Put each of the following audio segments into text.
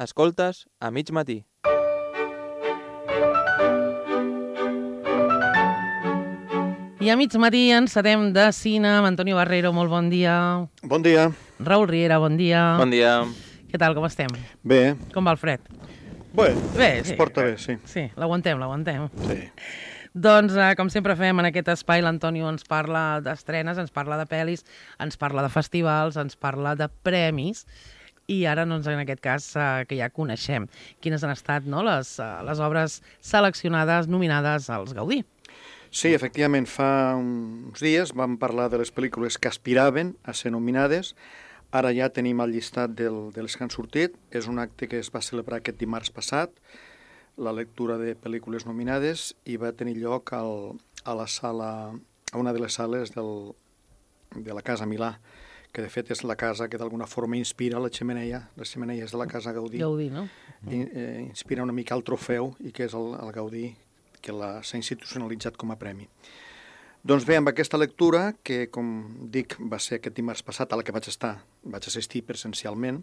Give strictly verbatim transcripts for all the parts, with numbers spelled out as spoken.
Escoltes a mig matí. I a mig matí encetem de cine amb Antonio Barrero, molt bon dia. Bon dia. Raül Riera, bon dia. Bon dia. Què tal, com estem? Bé. Com va el fred? Bé, Bé, es sí. porta bé, sí. Sí, l'aguantem, l'aguantem. Sí. Doncs, eh, com sempre fem en aquest espai, l'Antonio ens parla d'estrenes, ens parla de pel·lis, ens parla de festivals, ens parla de premis, i ara, doncs, en aquest cas, eh, que ja coneixem quines han estat, no?, les, eh, les obres seleccionades, nominades als Gaudí. Sí, efectivament, fa uns dies vam parlar de les pel·lícules que aspiraven a ser nominades. Ara ja tenim el llistat del, de les que han sortit. És un acte que es va celebrar aquest dimarts passat, la lectura de pel·lícules nominades, i va tenir lloc al, a la sala, a una de les sales del, de la Casa Milà, que de fet és la casa que d'alguna forma inspira la xemeneia, les xemeneies de la Casa Gaudí. Gaudí, no? I, eh, inspira una mica el trofeu, i que és el, el Gaudí, que s'ha institucionalitzat com a premi. Doncs bé, amb aquesta lectura, que com dic va ser aquest dimarts passat, a la que vaig estar, vaig assistir presencialment,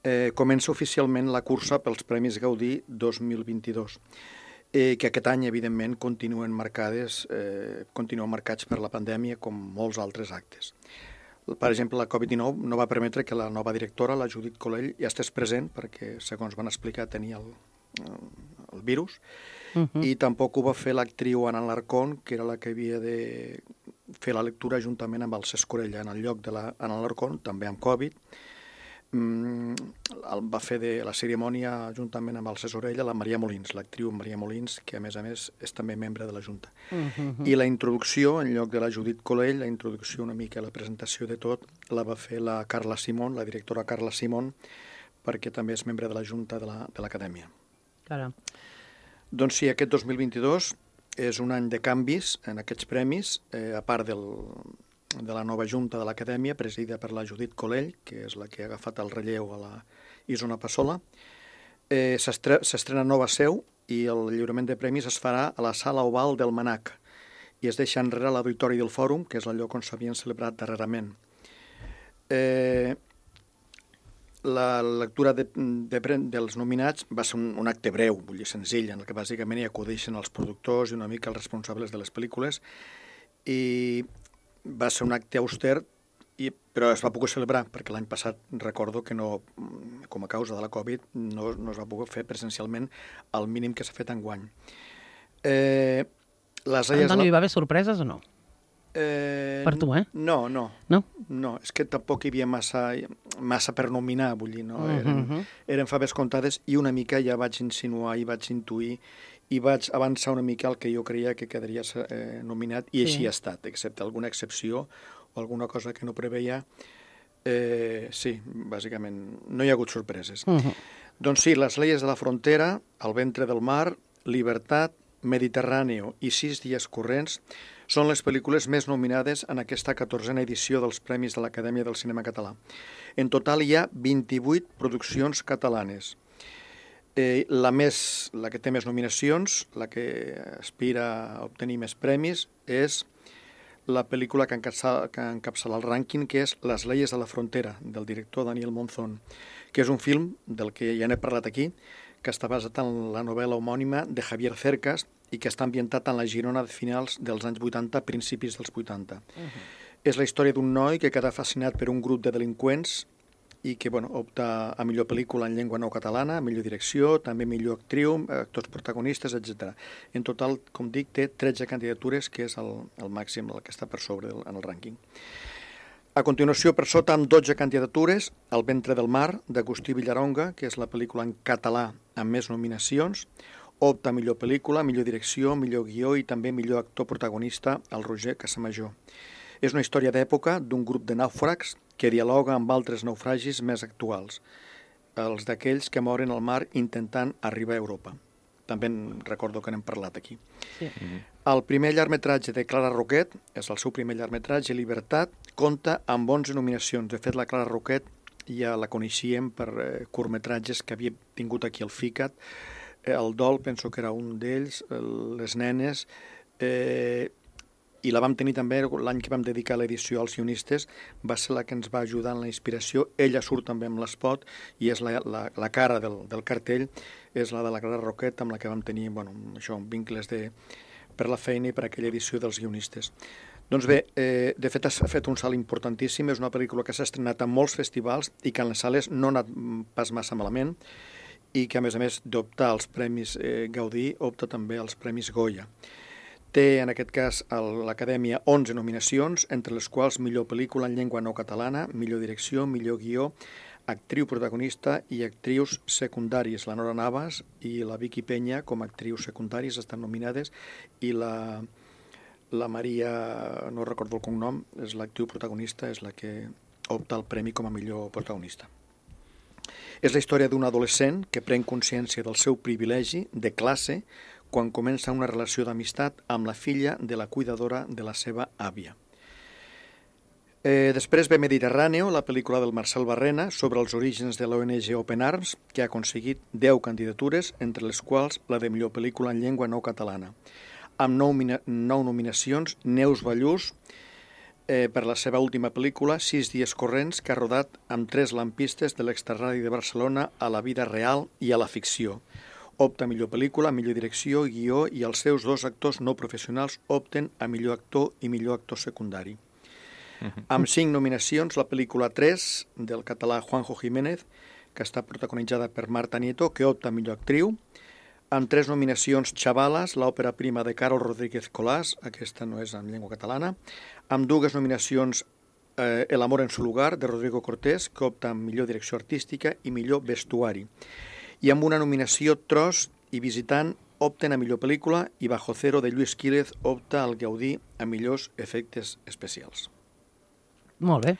eh, comença oficialment la cursa pels Premis Gaudí dos mil vint-i-dos, eh, que aquest any, evidentment, continuen marcades, eh, continuen marcats per la pandèmia, com molts altres actes. Per exemple, la covid dinou no va permetre que la nova directora, la Judit Colell, ja estés present, perquè, segons van explicar, tenia el, el, el virus, Uh -huh. i tampoc ho va fer l'actriu Ana Alarcón, que era la que havia de fer la lectura juntament amb el Cesc Orella. En el lloc de la Ana Alarcón, també amb Covid, mm, va fer de la cerimònia juntament amb el Cesc Orella la Maria Molins, l'actriu Maria Molins, que a més a més és també membre de la Junta. Uh -huh. I la introducció, en lloc de la Judit Colell, la introducció una mica, la presentació de tot, la va fer la Carla Simón, la directora Carla Simón, perquè també és membre de la Junta de l'Acadèmia. La, Caram. Doncs sí, aquest dos mil vint-i-dos és un any de canvis en aquests premis, eh, a part del, de la nova Junta de l'Acadèmia, presidida per la Judit Colell, que és la que ha agafat el relleu a la Isona Passola. Eh, S'estrena nova seu i el lliurament de premis es farà a la Sala Oval del Manac i es deixa enrere l'Auditori del Fòrum, que és el lloc on s'havien celebrat darrerament. Eh, La lectura de, de, dels nominats va ser un, un acte breu, vull dir, senzill, en el que bàsicament hi acudeixen els productors i una mica els responsables de les pel·lícules, i va ser un acte auster, i, però es va poder celebrar, perquè l'any passat recordo que no, com a causa de la Covid no, no es va poder fer presencialment el mínim que s'ha fet enguany. Eh, les Antoni, hi va haver sorpreses o no? Eh, per tu, eh? No, no. No? No, és que tampoc hi havia massa, massa per nominar, vull dir, no? Eren, uh -huh. eren faves comptades i una mica ja vaig insinuar i vaig intuir i vaig avançar una mica el que jo creia que quedaria eh, nominat, i sí. Així ha estat, excepte alguna excepció o alguna cosa que no preveia. Eh, sí, bàsicament, no hi ha hagut sorpreses. Uh -huh. Doncs sí, Les leyes de la frontera, El ventre del mar, Libertat, Mediterráneo i Sis dies corrents són les pel·lícules més nominades en aquesta catorzena edició dels Premis de l'Acadèmia del Cinema Català. En total hi ha vint-i-vuit produccions catalanes. Eh, la, més, la que té més nominacions, la que aspira a obtenir més premis, és la pel·lícula que encapçala, que encapçala el rànquing, que és Les leyes de la frontera, del director Daniel Monzón, que és un film del que ja n'he parlat aquí, que està basat en la novel·la homònima de Javier Cercas i que està ambientat en la Girona de finals dels anys vuitanta, principis dels vuitanta. Uh -huh. És la història d'un noi que queda fascinat per un grup de delinqüents i que bueno, opta a millor pel·lícula en llengua no catalana, millor direcció, també millor actriu, actors protagonistes, etcètera. En total, com dic, té tretze candidatures, que és el, el màxim, el que està per sobre del, en el rànquing. A continuació, per sota, amb dotze candidatures, El ventre del mar, d'Agustí Villaronga, que és la pel·lícula en català amb més nominacions, opta a millor pel·lícula, millor direcció, millor guió i també millor actor protagonista, el Roger Casamajó. És una història d'època d'un grup de nàufrags que dialoga amb altres naufragis més actuals, els d'aquells que moren al mar intentant arribar a Europa. També recordo que n'hem parlat aquí. Sí. Mm-hmm. El primer llargmetratge de Clara Roquet, és el seu primer llargmetratge, Libertat, compta amb onze nominacions. De fet, la Clara Roquet ja la coneixíem per eh, curtmetratges que havia tingut aquí al FICAT. Eh, el Dol, penso que era un d'ells, Les nenes. Eh, i la vam tenir també l'any que vam dedicar l'edició als guionistes, va ser la que ens va ajudar en la inspiració. Ella surt també amb l'espot i és la, la, la cara del, del cartell, és la de la Clara Roquet, amb la que vam tenir, bueno, això, vincles de, per la feina i per aquella edició dels guionistes. Doncs bé, eh, de fet s'ha fet un salt importantíssim, és una pel·lícula que s'ha estrenat a molts festivals i que en les sales no ha anat pas massa malament i que a més a més d'optar als Premis eh, Gaudí, opta també als Premis Goya. Té en aquest cas a l'Acadèmia onze nominacions, entre les quals millor pel·lícula en llengua no catalana, millor direcció, millor guió, actriu protagonista i actrius secundàries. La Nora Navas i la Vicky Peña com a actrius secundàries estan nominades i la... La Maria, no recordo el cognom, és l'actriu protagonista, és la que opta al premi com a millor protagonista. És la història d'un adolescent que pren consciència del seu privilegi de classe quan comença una relació d'amistat amb la filla de la cuidadora de la seva àvia. Eh, després ve Mediterráneo, la pel·lícula del Marcel Barrena sobre els orígens de l'O N G Open Arms, que ha aconseguit deu candidatures, entre les quals la de millor pel·lícula en llengua no catalana. Amb nou, nou nominacions, Neus Ballús, eh, per la seva última pel·lícula, Sis dies corrents, que ha rodat amb tres lampistes de l'extraradi de Barcelona a la vida real i a la ficció. Opta a millor pel·lícula, millor direcció, guió, i els seus dos actors no professionals opten a millor actor i millor actor secundari. Uh-huh. Amb cinc nominacions, la pel·lícula tres, del català Juanjo Jiménez, que està protagonitzada per Marta Nieto, que opta a millor actriu. Amb tres nominacions, Chavalas, l'òpera prima de Carol Rodríguez Colás, aquesta no és en llengua catalana. Amb dues nominacions, eh, El amor en su lugar, de Rodrigo Cortés, que opta a millor direcció artística i millor vestuari. I amb una nominació, Tros i Visitant opten a millor pel·lícula i Bajo Cero, de Lluís Quílez, opta al Gaudí a millors efectes especials. Molt bé.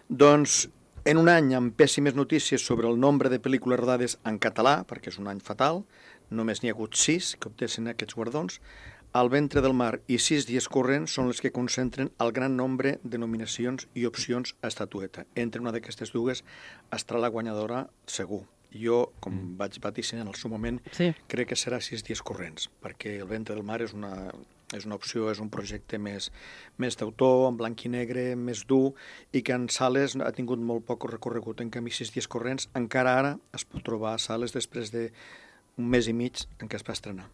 Doncs, en un any amb pèssimes notícies sobre el nombre de pel·lícules rodades en català, perquè és un any fatal, només n'hi ha hagut sis que obtessin aquests guardons, El ventre del mar i Sis dies corrents són les que concentren el gran nombre de nominacions i opcions a estatueta. Entre una d'aquestes dues estarà la guanyadora segur. Jo, com mm. vaig vaticinar en el seu moment, sí. crec que serà Sis dies corrents, perquè El ventre del mar és una, és una opció, és un projecte més, més d'autor, en blanc i negre, més dur, i que en sales ha tingut molt poc recorregut. En canvi, Sis dies corrents encara ara es pot trobar a sales després de un mes i mig en què es va estrenar.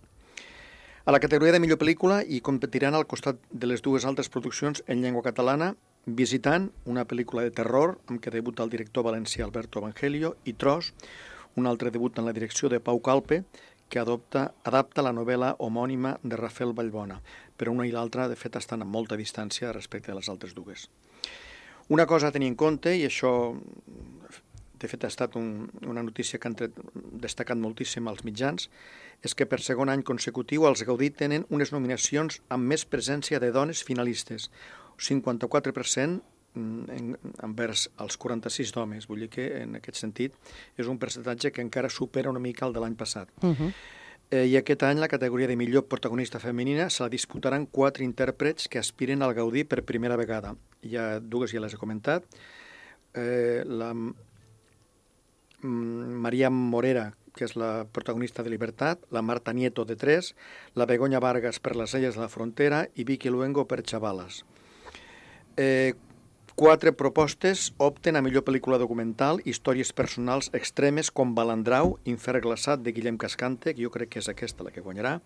A la categoria de millor pel·lícula hi competiran al costat de les dues altres produccions en llengua catalana, Visitant, una pel·lícula de terror amb què debuta el director valencià Alberto Evangelio, i Tros, un altre debut en la direcció de Pau Calpe, que adopta, adapta la novel·la homònima de Rafael Vallbona, però una i l'altra, de fet, estan a molta distància respecte a les altres dues. Una cosa a tenir en compte, i això de fet ha estat un, una notícia que han tret, destacat moltíssim als mitjans, és que per segon any consecutiu els Gaudí tenen unes nominacions amb més presència de dones finalistes, cinquanta-quatre per cent en, envers els quaranta-sis d'homes. Vull dir que en aquest sentit és un percentatge que encara supera una mica el de l'any passat. Uh-huh. eh, I aquest any la categoria de millor protagonista femenina se la disputaran quatre intèrprets que aspiren al Gaudí per primera vegada. Hi ha dues, ja les he comentat. Eh, la Maria Morera, que és la protagonista de Libertad, la Marta Nieto de Tres, la Begoña Vargas per Les Illes de la Frontera i Vicky Luengo per Chavalas. Eh, quatre propostes opten a millor pel·lícula documental, històries personals extremes com Balandrau, Infern glaçat, de Guillem Cascante, que jo crec que és aquesta la que guanyarà.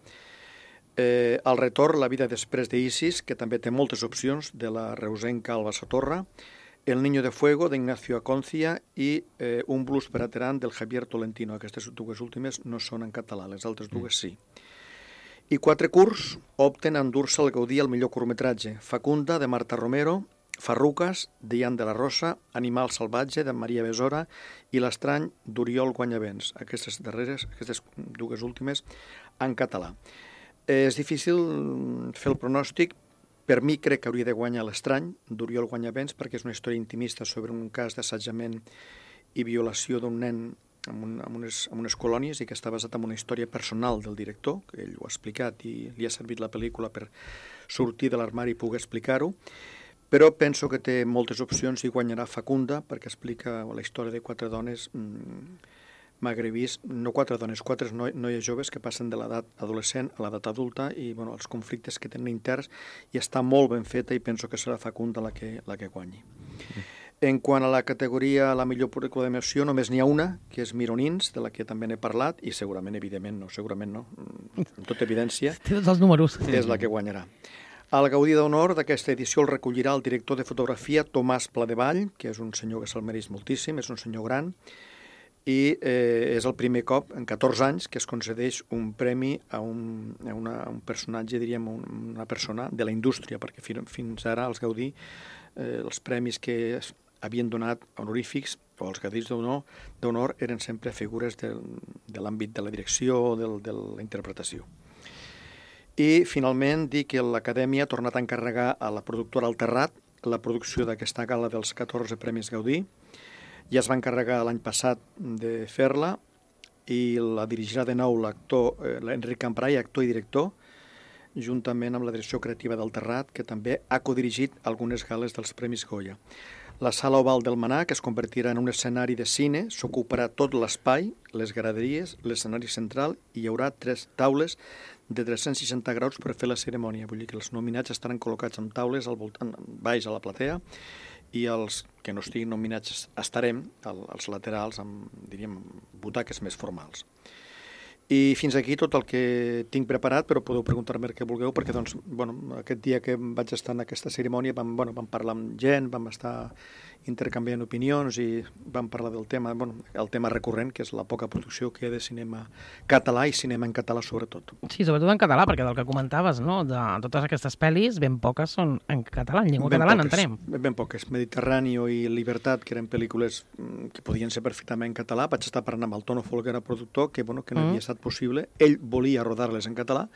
Eh, el retorn, La vida després d'Isis, que també té moltes opcions, de la reusenca Alba Sotorra. El niño de fuego, d'Ignacio Aconcia, i eh, Un blues per a Terán, del Javier Tolentino. Aquestes dues últimes no són en català, les altres dues sí. I quatre curts opten a endur-se el Gaudí al millor curtmetratge. Facunda, de Marta Romero, Farrucas, de Ian de la Rosa, Animal salvatge, de Maria Besora, i L'estrany, d'Oriol Guanyavents. Aquestes darreres, aquestes dues últimes, en català. Eh, és difícil fer el pronòstic. Per mi crec que hauria de guanyar L'estrany, d'Oriol Guanyavents, perquè és una història intimista sobre un cas d'assetjament i violació d'un nen en, un, en, unes, en unes colònies i que està basat en una història personal del director, que ell ho ha explicat i li ha servit la pel·lícula per sortir de l'armari i poder explicar-ho. Però penso que té moltes opcions i guanyarà Facunda, perquè explica la història de quatre dones mmm, magrebís, no quatre dones, quatre noi, noies joves que passen de l'edat adolescent a l'edat adulta i bueno, els conflictes que tenen interns, i està molt ben feta i penso que serà fecunda la que, la que guanyi. Mm. En quant a la categoria la millor pel·lícula d'animació, només n'hi ha una, que és Mironins, de la que també n'he parlat, i segurament, evidentment, no, segurament no, amb tota evidència, té tots els números. És la que guanyarà. El Gaudí d'Honor d'aquesta edició el recollirà el director de fotografia Tomàs Pladevall, que és un senyor que se'l mereix moltíssim, és un senyor gran, i eh, és el primer cop en catorze anys que es concedeix un premi a un, a una, a un personatge, diríem, un, una persona de la indústria, perquè fi, fins ara els Gaudí, eh, els premis que es havien donat honorífics, o els Gaudís d'Honor, eren sempre figures de, de l'àmbit de la direcció o de, de la interpretació. I, finalment, dir que l'Acadèmia ha tornat a encarregar a la productora El Terrat la producció d'aquesta gala dels catorze Premis Gaudí. Ja es va encarregar l'any passat de fer-la i la dirigirà de nou l'actor eh, Enric Camprai, actor i director, juntament amb la direcció creativa del Terrat, que també ha codirigit algunes gales dels Premis Goya. La sala oval del Manà, que es convertirà en un escenari de cine, s'ocuparà tot l'espai, les graderies, l'escenari central, i hi haurà tres taules de tres-cents seixanta graus per fer la cerimònia. Vull dir que els nominats estaran col·locats amb taules al voltant, baix a la platea, i els que no estiguin nominats estarem als laterals amb, diríem, butaques més formals. I fins aquí tot el que tinc preparat, però podeu preguntar-me el que vulgueu, perquè doncs, bueno, aquest dia que vaig estar en aquesta cerimònia vam, bueno, vam parlar amb gent, vam estar intercanviant opinions i vam parlar del tema, bueno, el tema recurrent, que és la poca producció que hi ha de cinema català i cinema en català sobretot. Sí, sobretot en català, perquè del que comentaves, no? De totes aquestes pel·lis, ben poques són en català, en llengua ben catalana, poques, entenem. Ben poques. Mediterráneo i Libertat, que eren pel·lícules que podien ser perfectament en català. Vaig estar parlant amb el Tono Folguera, productor, que, bueno, que no mm. havia estat possible. Ell volia rodar-les en català,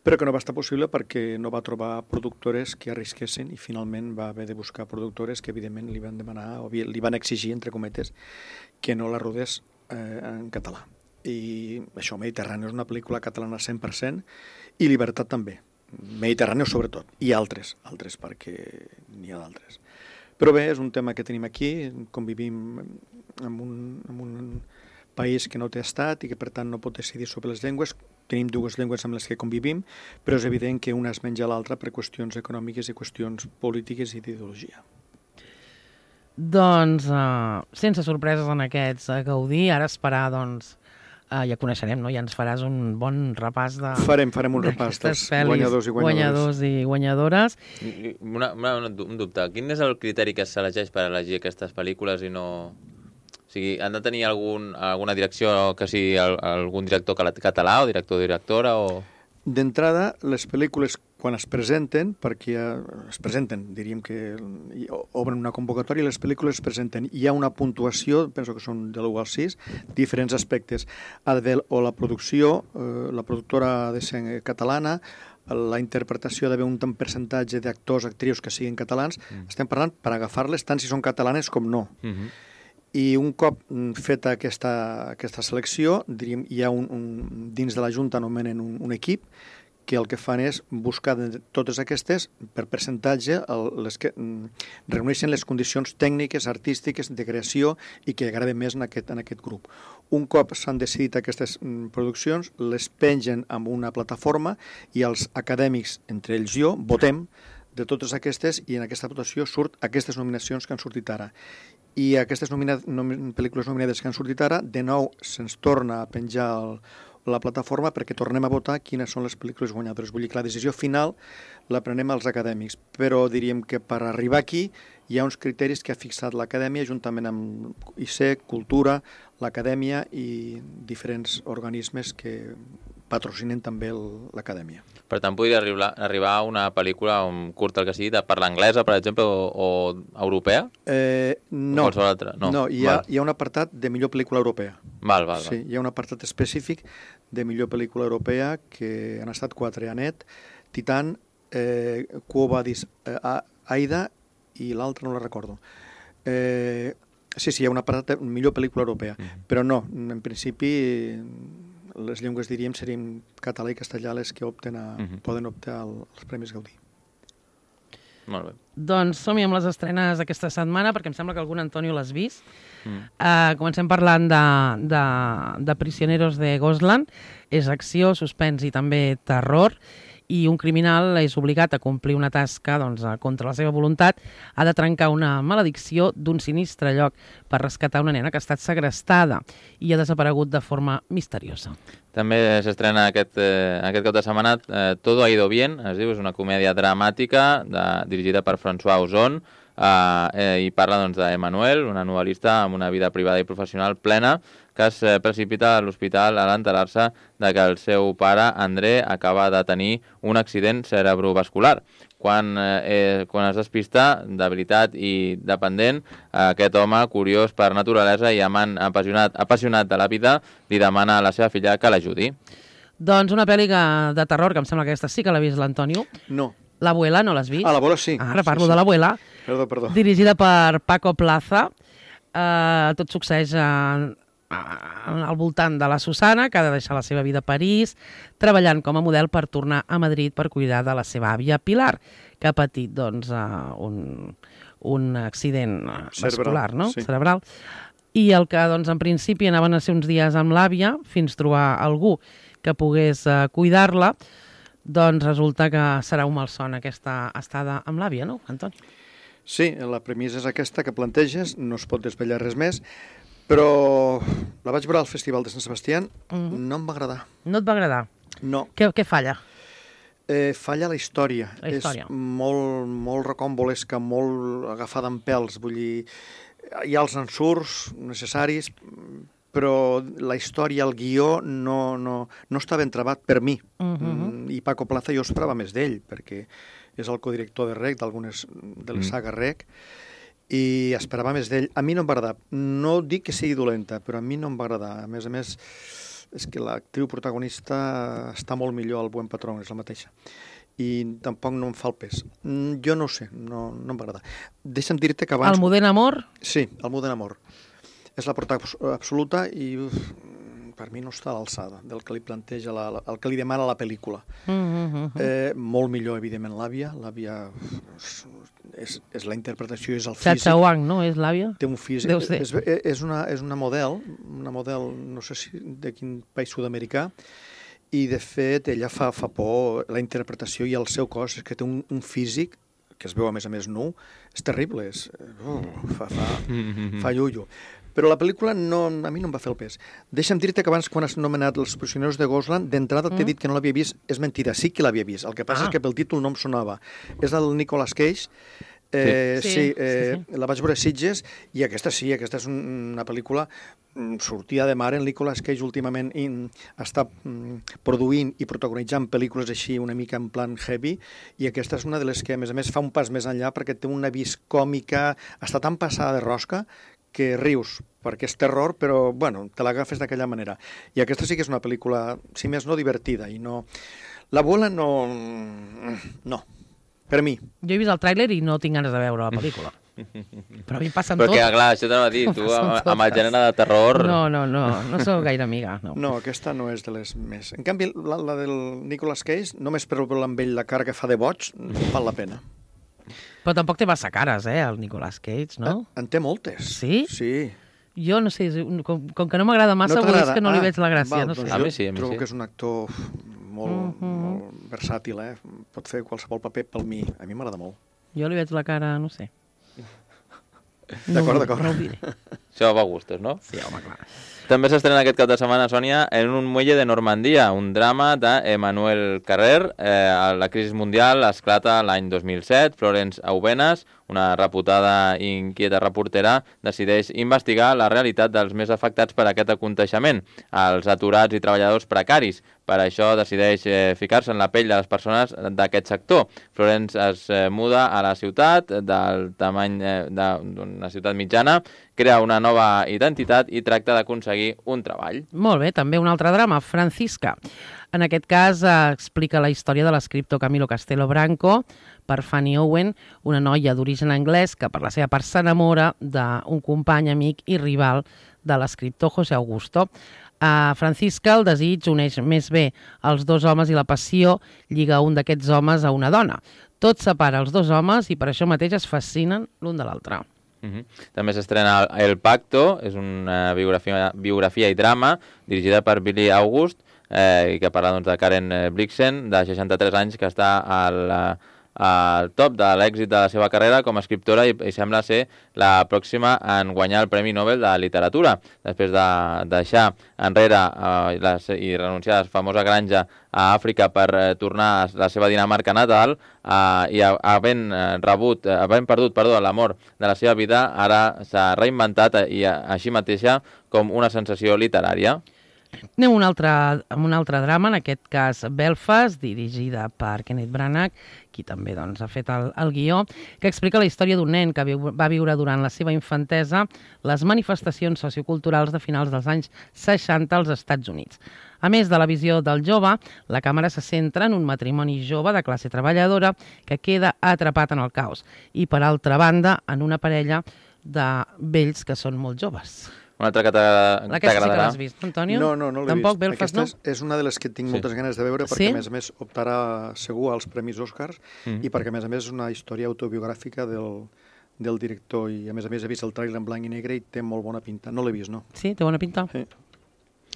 però que no va estar possible perquè no va trobar productores que arrisquessin i finalment va haver de buscar productores que evidentment li van demanar o li van exigir, entre cometes, que no la rodés eh, en català. I això, Mediterrani és una pel·lícula catalana cent per cent i Libertat també. Mediterrani sobretot, i altres, altres perquè n'hi ha d'altres. Però bé, és un tema que tenim aquí, convivim amb un, amb un país que no té estat i que per tant no pot decidir sobre les llengües. Tenim dues llengües amb les que convivim, però és evident que una es menja l'altra per qüestions econòmiques i qüestions polítiques i d'ideologia. Doncs, uh, sense sorpreses en aquests uh, Gaudí, ara esperar, doncs, uh, ja coneixerem, no? Ja ens faràs un bon repàs de... Farem, farem un repàs dels guanyadors i guanyadores. guanyadors i guanyadores. Una, una, un dubte, quin és el criteri que s'elegeix per elegir aquestes pel·lícules i no... O sigui, han de tenir algun, alguna direcció, que sigui algun director català o director o directora o... D'entrada, les pel·lícules, quan es presenten, perquè es presenten, diríem que obren una convocatòria, les pel·lícules es presenten, hi ha una puntuació, penso que són de l'u al sis, diferents aspectes. Ha d'haver o la producció, eh, la productora ha de ser catalana, la interpretació ha d'haver un tant percentatge d'actors, actrius que siguin catalans. Mm. Estem parlant per agafar-les tant si són catalanes com no. Mm-hmm. I un cop feta aquesta, aquesta selecció, diríem, hi ha un, un, dins de la Junta anomenen un, un equip que el que fan és buscar de totes aquestes, per percentatge, el, les que reuneixen les condicions tècniques, artístiques, de creació i que agraden més en aquest, en aquest grup. Un cop s'han decidit aquestes produccions, les pengen amb una plataforma i els acadèmics, entre ells jo, votem de totes aquestes i en aquesta votació surt aquestes nominacions que han sortit ara. I aquestes nomina nom pel·lícules nominades que han sortit ara, de nou se'ns torna a penjar el, la plataforma perquè tornem a votar quines són les pel·lícules guanyadores. Vull dir que la decisió final la prenem als acadèmics, però diríem que per arribar aquí hi ha uns criteris que ha fixat l'Acadèmia juntament amb I C, Cultura, l'Acadèmia i diferents organismes que patrocinen també l'Acadèmia. Per tant, podria arribar, arribar a una pel·lícula, un curt el que sigui, de parla anglesa, per exemple, o, o europea? Eh, no, o qualsevol altra? No, no hi, ha, hi ha un apartat de millor pel·lícula europea. Val, val, sí, val. Hi ha un apartat específic de millor pel·lícula europea que han estat quatre, Anet, Titan, eh, Quo Vadis, eh, Aida i l'altra no la recordo. Eh, sí, sí, hi ha un apartat de millor pel·lícula europea, mm. però no, en principi les llengües, diríem, serien català i castellà les que opten a, uh-huh. poden optar als Premis Gaudí. Molt bé. Doncs som-hi amb les estrenes aquesta setmana, perquè em sembla que algun Antonio l'has vist. Mm. Uh, comencem parlant de, de, de Prisioneros de Ghostland. És acció, suspens i també terror. I un criminal és obligat a complir una tasca doncs, contra la seva voluntat. Ha de trencar una maledicció d'un sinistre lloc per rescatar una nena que ha estat segrestada i ha desaparegut de forma misteriosa. També s'estrena aquest, eh, aquest cap de setmana eh, Todo ha ido bien, es diu, és una comèdia dramàtica de, dirigida per François Ozon eh, eh, i parla doncs, d'Emmanuel, una novel·lista amb una vida privada i professional plena que es precipita a l'hospital a l'enterar-se de que el seu pare, André, acaba de tenir un accident cerebrovascular. Quan, eh, quan es despista, d'habilitat i dependent, aquest home, curiós per naturalesa i amant apassionat, apassionat de la vida, li demana a la seva filla que l'ajudi. Doncs una pel·li de terror, que em sembla que aquesta sí que l'ha vist l'Antonio. No. L'Abuela, no l'has vist? Ah, l'Abuela sí. Ara parlo sí, sí. de l'Abuela. Perdó, perdó. Dirigida per Paco Plaza. Uh, tot succeeix en... al voltant de la Susana, que ha de deixar la seva vida a París, treballant com a model per tornar a Madrid per cuidar de la seva àvia Pilar, que ha patit doncs, uh, un, un accident vascular, no? Sí. Cerebral. I el que doncs, en principi anaven a ser uns dies amb l'àvia, fins trobar algú que pogués uh, cuidar-la, doncs resulta que serà un malson aquesta estada amb l'àvia, no, Antoni? Sí, la premissa és aquesta que planteges, no es pot desvetllar res més, però la vaig veure al Festival de Sant Sebastià, mm-hmm. no em va agradar. No et va agradar? No. Què, què falla? Eh, falla la història. La història. És molt, molt recòmbolesca, molt agafada en pèls. Vull dir, hi ha els ensurts necessaris, però la història, el guió, no, no, no està ben trebat per mi. Mm-hmm. I Paco Plaza jo esperava més d'ell, perquè és el codirector de R E C, d'algunes de les saga R E C, i esperava més d'ell. A mi no em va agradar. No dic que sigui dolenta, però a mi no em va agradar. A més a més, és que l'actriu protagonista està molt millor al Buen Patrón, és la mateixa. I tampoc no em fa el pes. Jo no ho sé, no, no em va agradar. Deixa'm dir-te que abans... Almudena Amor? Sí, Almudena Amor. És la protagonista absoluta i uf, per mi no està a l'alçada del que li planteja, la, la, el que li demana la pel·lícula. Mm-hmm. eh, molt millor, evidentment, l'àvia. L'àvia... És, és la interpretació, és el físic. Chacha Wang, no? És l'àvia? Té un físic. Deu ser. És, és, una, és una model, una model, no sé si de quin país sud-americà, i de fet ella fa, fa por, la interpretació i el seu cos, és que té un, un físic, que es veu a més a més nu, és terrible, és, uh, fa, fa, fa llullo. Però la pel·lícula no, a mi no em va fer el pes. Deixa'm dir-te que abans, quan has nomenat Els Prisioneros de Ghostland, d'entrada mm. t'he dit que no l'havia vist, és mentida, sí que l'havia vist. El que passa ah. és que pel títol no em sonava. És el Nicolas Cage. Eh, sí, sí, eh, sí, sí. La vaig veure a Sitges i aquesta sí, aquesta és una pel·lícula sortida de mar. En Nicolas Cage últimament in, està mm, produint i protagonitzant pel·lícules així una mica en plan heavy, i aquesta és una de les que a més a més fa un pas més enllà perquè té una vis còmica, està tan passada de rosca que rius, perquè és terror, però, bueno, te l'agafes d'aquella manera. I aquesta sí que és una pel·lícula, si més no, divertida, i no... L'Abuela no... no, per mi. Jo he vist el tràiler i no tinc ganes de veure la pel·lícula. Però a mi passen tot. Perquè, clar, això t'anava a dir, tu amb, amb el gènere de terror... No, no, no, no sóc gaire amiga, no. No, aquesta no és de les més... En canvi, la, la del Nicolas Cage, només per veure amb ell la cara que fa de boig, val la pena. Però tampoc té massa cares, eh, el Nicolas Cage, no? En té moltes. Sí? Sí. Jo no sé, com, com que no m'agrada massa, no és que no li ah, veig la gràcia. Val, no sé. doncs A mi sí, a mi trobo sí. que és un actor molt, Mm-hmm. molt versàtil, eh? Pot fer qualsevol paper pel mi. A mi m'agrada molt. Jo li veig la cara, no sé. D'acord, no, d'acord. No ho diré. Això va a gustos, no? Sí, home, clar. També s'estrena aquest cap de setmana, Sònia, En un muelle de Normandia, un drama d'Emmanuel Carrer. Eh, la crisi mundial esclata l'any dos mil set. Florence Aubenas, una reputada i inquieta reportera, decideix investigar la realitat dels més afectats per aquest aconteixement, els aturats i treballadors precaris. Per això decideix eh, ficar-se en la pell de les persones d'aquest sector. Florence es eh, muda a la ciutat, del tamany eh, d'una ciutat mitjana, crea una nova identitat i tracta d'aconseguir un treball. Molt bé, també un altre drama, Francisca. En aquest cas eh, explica la història de l'escriptor Camilo Castelo Branco per Fanny Owen, una noia d'origen anglès que per la seva part s'enamora d'un company, amic i rival de l'escriptor José Augusto. A Francisca el desig uneix més bé els dos homes i la passió lliga un d'aquests homes a una dona. Tot separa els dos homes i per això mateix es fascinen l'un de l'altre. Uh-huh. També s'estrena El Pacto, és una biografia, biografia i drama dirigida per Billy August eh, i que parla doncs, de Karen Blixen, de seixanta-tres anys, que està al... al top de l'èxit de la seva carrera com a escriptora i, i sembla ser la pròxima en guanyar el Premi Nobel de Literatura, després de deixar enrere eh, la, i renunciar a la famosa granja a Àfrica per eh, tornar a la seva Dinamarca natal eh, i havent eh, rebut, eh, havent perdut perdó, l'amor de la seva vida, ara s'ha reinventat eh, i així mateixa com una sensació literària. Anem a un altre, amb un altre drama, en aquest cas Belfast, dirigida per Kenneth Branagh, qui també doncs, ha fet el, el guió, que explica la història d'un nen que viu, va viure durant la seva infantesa les manifestacions socioculturals de finals dels anys seixanta als Estats Units. A més de la visió del jove, la càmera se centra en un matrimoni jove de classe treballadora que queda atrapat en el caos i, per altra banda, en una parella de vells que són molt joves. Una altra que t'agradarà. Aquesta sí que l'has vist, Antonio? No, no, no l'he Tampoc, vist. Belfast, Aquesta no? és, és una de les que tinc Sí. moltes ganes de veure perquè, Sí? a més a més, optarà segur als Premis Oscars Mm. i perquè, a més a més, és una història autobiogràfica del, del director i, a més a més, he vist el tràiler en blanc i negre i té molt bona pinta. No l'he vist, no? Sí, té bona pinta? Sí.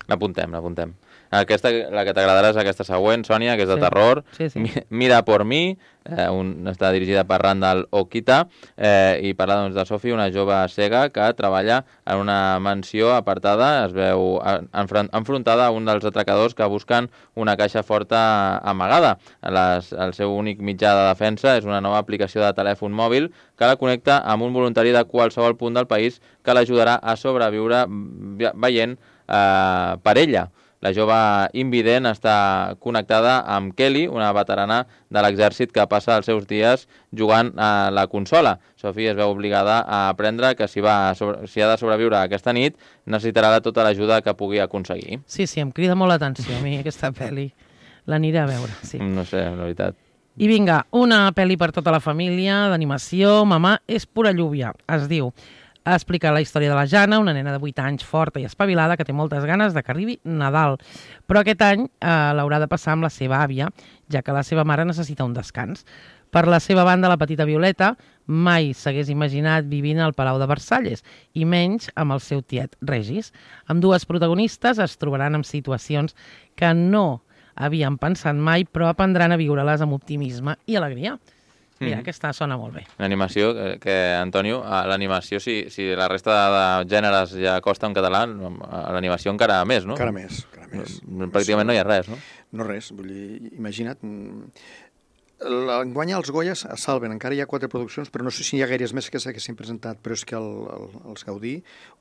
L'apuntem, l'apuntem. Aquesta, la que t'agradarà és aquesta següent, Sònia, que és de Sí. terror. Sí, sí. Mi- Mira por mi, eh, un, està dirigida per Randall Okita eh, i parla doncs, de Sophie, una jove cega que treballa en una mansió apartada, es veu enfront, enfrontada a un dels atracadors que busquen una caixa forta amagada. Les, el seu únic mitjà de defensa és una nova aplicació de telèfon mòbil que la connecta amb un voluntari de qualsevol punt del país que l'ajudarà a sobreviure ve- veient eh, per ella. La jove invident està connectada amb Kelly, una veterana de l'exèrcit que passa els seus dies jugant a la consola. Sophie es veu obligada a aprendre que si, va sobre, si ha de sobreviure aquesta nit necessitarà tota l'ajuda que pugui aconseguir. Sí, sí, em crida molt l'atenció a mi aquesta pel·li. L'aniré a veure, sí. No sé, la veritat. I vinga, una pel·li per tota la família, d'animació, Mamà és pura lluvia, es diu. Explica la història de la Jana, una nena de vuit anys forta i espavilada que té moltes ganes de que arribi Nadal. Però aquest any eh, l'haurà de passar amb la seva àvia, ja que la seva mare necessita un descans. Per la seva banda, la petita Violeta mai s'hagués imaginat vivint al Palau de Versalles, i menys amb el seu tiet Regis. Amb dues protagonistes es trobaran en situacions que no havien pensat mai, però aprendran a viure-les amb optimisme i alegria. Mira, Mhm. aquesta sona molt bé. L'animació, que, que Antonio, a l'animació, si, si la resta de, de gèneres ja costa en català, a l'animació encara més, no? Encara més, encara més. Pràcticament no hi ha res, no? No res, vull dir, imagina't... mm, Enguany els Goyes es salven, encara hi ha quatre produccions, però no sé si hi ha gaires més que s'haguessin presentat, però és que el, el, els Gaudí,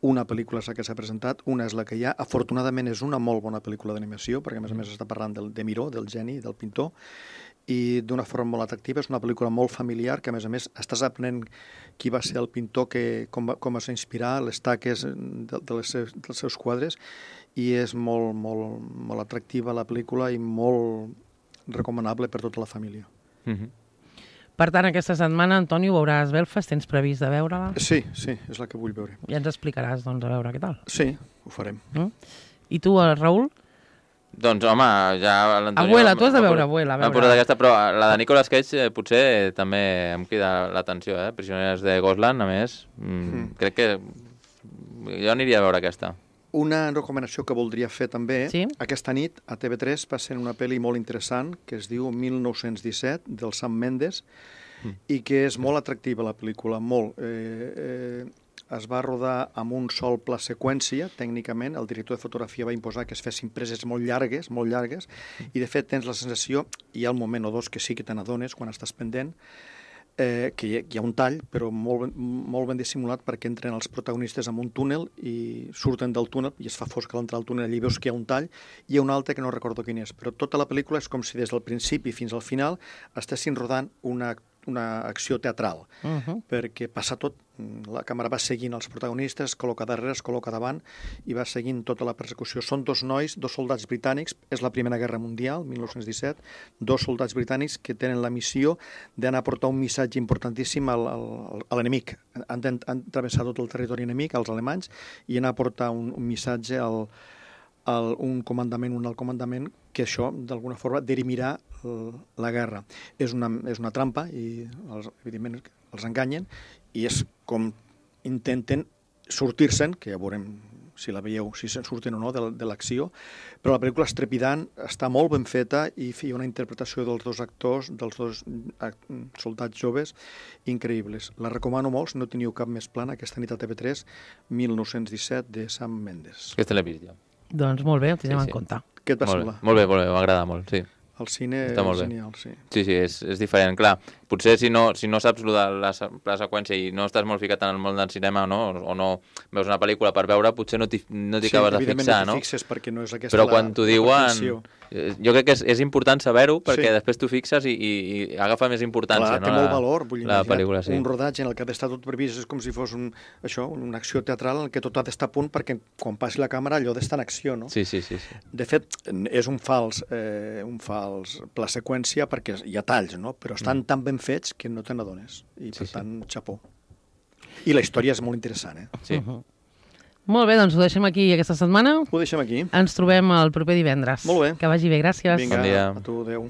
una pel·lícula és la que s'ha presentat, una és la que hi ha, afortunadament és una molt bona pel·lícula d'animació, perquè a més a més està parlant del, de Miró, del geni, del pintor, i d'una forma molt atractiva, és una pel·lícula molt familiar, que a més a més estàs aprenent qui va ser el pintor, que, com, va, com es va inspirar, les taques de, de les seus, dels seus quadres, i és molt, molt, molt atractiva la pel·lícula i molt recomanable per tota la família. Mhm. Per tant, aquesta setmana, Antonio, veuràs Belfast, tens previst de veure-la? Sí, sí, és la que vull veure. Ja ens explicaràs, doncs, a veure què tal. Sí, ho farem. Mm? I tu, eh, Raül? Doncs, home, ja l'Antonio... Abuela, tu has de m'ha veure posat- Abuela, a M'ha veure. posat aquesta, però la de Nicolas Cage eh, potser eh, també em crida l'atenció, eh? Prisioneres de Gosland, a més. Mm, Mm. Crec que jo aniria a veure aquesta. Una recomanació que voldria fer també, Sí? aquesta nit a T V tres passen una pel·li molt interessant que es diu mil nou-cents disset, del Sam Mendes, Mm. i que és molt atractiva la pel·lícula, molt. Eh, eh, es va rodar amb un sol pla seqüència, tècnicament, el director de fotografia va imposar que es fessin preses molt llargues, molt llargues, i de fet tens la sensació, hi ha un moment o dos que sí que te n'adones quan estàs pendent, eh, que hi ha, hi ha un tall, però molt, ben- molt ben dissimulat perquè entren els protagonistes en un túnel i surten del túnel i es fa fosc a l'entrar al túnel, allí veus que hi ha un tall i hi ha un altre que no recordo quin és, però tota la pel·lícula és com si des del principi fins al final estessin rodant una, una acció teatral, Uh -huh. perquè passa tot, la càmera va seguint els protagonistes, es col·loca darrere, es col·loca davant i va seguint tota la persecució. Són dos nois, dos soldats britànics, és la Primera Guerra Mundial, mil nou-cents disset, dos soldats britànics que tenen la missió d'anar a portar un missatge importantíssim al, al, a l'enemic. Han, han, han travessat tot el territori enemic, als alemanys, i anar a portar un, un missatge al, el, un comandament, un alt comandament, que això, d'alguna forma, dirimirà la guerra. És una, és una trampa i, els, evidentment, els enganyen i és com intenten sortir-se'n, que ja veurem si la veieu, si se'n surten o no de, de l'acció, però la pel·lícula és trepidant, està molt ben feta i hi ha una interpretació dels dos actors, dels dos soldats joves, increïbles. La recomano molt, si no teniu cap més plana, aquesta nit a T V tres, mil nou-cents disset, de Sam Mendes. Aquesta l'he vist jo. Doncs molt bé, ho tindrem Sí, en sí. compte. Què et va Molt semblar? bé, molt bé, molt bé, m'agrada molt, sí. El cine Està molt és bé. genial, sí. Sí, sí, és, és diferent. Clar, potser si no, si no saps lo de la, se- la seqüència i no estàs molt ficat en el món del cinema, no? O, o no veus una pel·lícula per veure, potser no t'hi no t'hi Sí, acabes de evidentment fixar, no no? t'hi fixes perquè no és aquesta Però la, quan t'ho la diuen, perfecció. eh, jo crec que és, és important saber-ho perquè Sí. després t'ho fixes i, i, i agafa més importància, Clar, no? té la, molt valor, vull dir, la imagina't pel·lícula, sí. un rodatge en el que ha d'estar tot previst, és com si fos un, això, una acció teatral en què tot ha d'estar a punt perquè quan passi la càmera allò ha d'estar en acció, no? Sí, sí, sí, sí. De fet, és un fals, eh, un fals pla seqüència perquè hi ha talls, no? Però estan tan ben fets que no te n'adones. I, per Sí, sí. tant, xapó. I la història és molt interessant, eh? sí. Uh -huh. Molt bé, doncs ho deixem aquí aquesta setmana. Ho deixem aquí. Ens trobem el proper divendres. Molt bé. Que vagi bé, gràcies. Vinga, Bon dia. a tu, adeu.